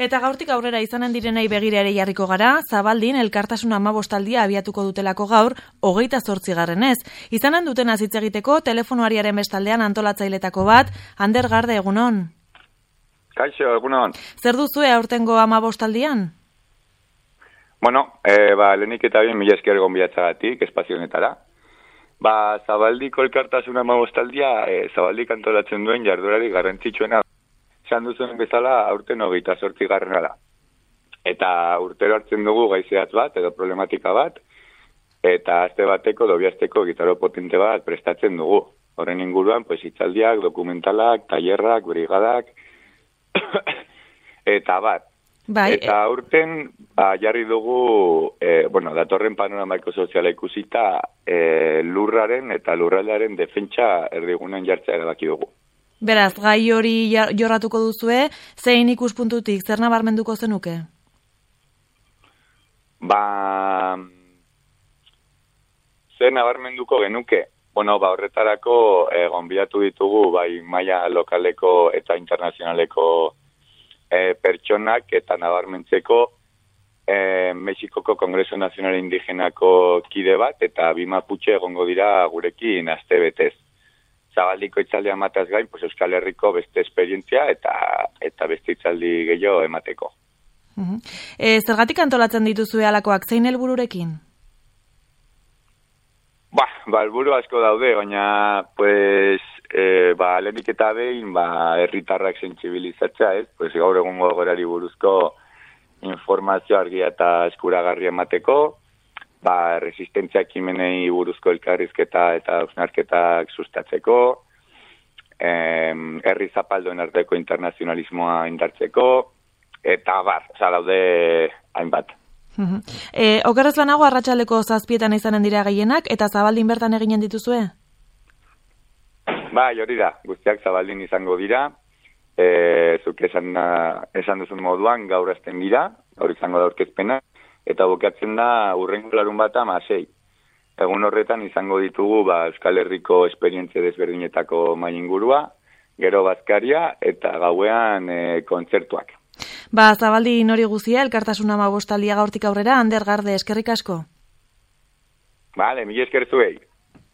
Eta gaurtik aurrera izanen direnei begira ere jarriko gara, Zabaldin elkartasun 15 abiatuko dutelako gaur, 28. Izanen duten hitz egiteko telefonoariaren bestaldean antolatzailetako bat, Ander Garde, egunon. Kaixo, egunon. Zer duzue aurtengo 15? Bueno, lehenik eta bien mila esker gonbidatzagatik, espazio honetara. Zabaldiko elkartasun 15 Zabaldik antolatzen duen jardurari garrantzitsuena. Esan duzuen bezala aurten 28. da. Eta urtero hartzen dugu gaizeatz bat edo problematika bat, eta aste bateko dobiazteko gitaro potente bat prestatzen dugu. Horren inguruan, hitzaldiak, dokumentalak, tailerrak, brigadak, eta bat. Bai, eta urten jarri dugu, datorren panoramaiko soziala ikusita, lurraren eta lurraldearen defentsa erdigunen jartzea erabaki dugu. Beraz, gai hori jorratuko duzue, zein ikuspuntutik, zer nabarmenduko zenuke? Zer nabarmenduko genuke? Horretarako gonbidatu ditugu bai maila lokaleko eta internazionaleko pertsonak eta nabarmentzeko Mexikoko Kongreso Nazional Indigenako kide bat eta bi Mapuche egongo dira gurekin astebetez. Zabaldiko hitzaldia mataz gain, Euskal Herriko beste esperientzia eta beste hitzaldi gehiago emateko. Zergatik antolatzen dituzue halakoak, zein helbururekin? Helburu asko daude, baina lehenik eta behin herritarrak sentsibilizatzea, gaur egungo egoerari buruzko informazio argia eta eskuragarria emateko, resistentzia ekimenei buruzko elkarrizketa eta hausnarketak sustatzeko, herri zapaldoen arteko internazionalismoa indartzeko, eta daude hainbat. Okerrez banago arratsaldeko 7 izanen dira gehienak, eta Zabaldin bertan eginen dituzue? Hori da, guztiak Zabaldin izango dira, zuk esan duzun moduan gaur hasten dira, gaur izango da aurkezpena, eta bukatzen da hurrengo larunbata 6. Egun horretan izango ditugu Euskal Herriko esperientzia desberdinetako mahai ingurua, gero bazkaria eta gauean kontzertuak. Zabaldin hori guzia, elkartasun 15 gaurtik aurrera, Ander Garde, eskerrik asko. Mila esker zuei.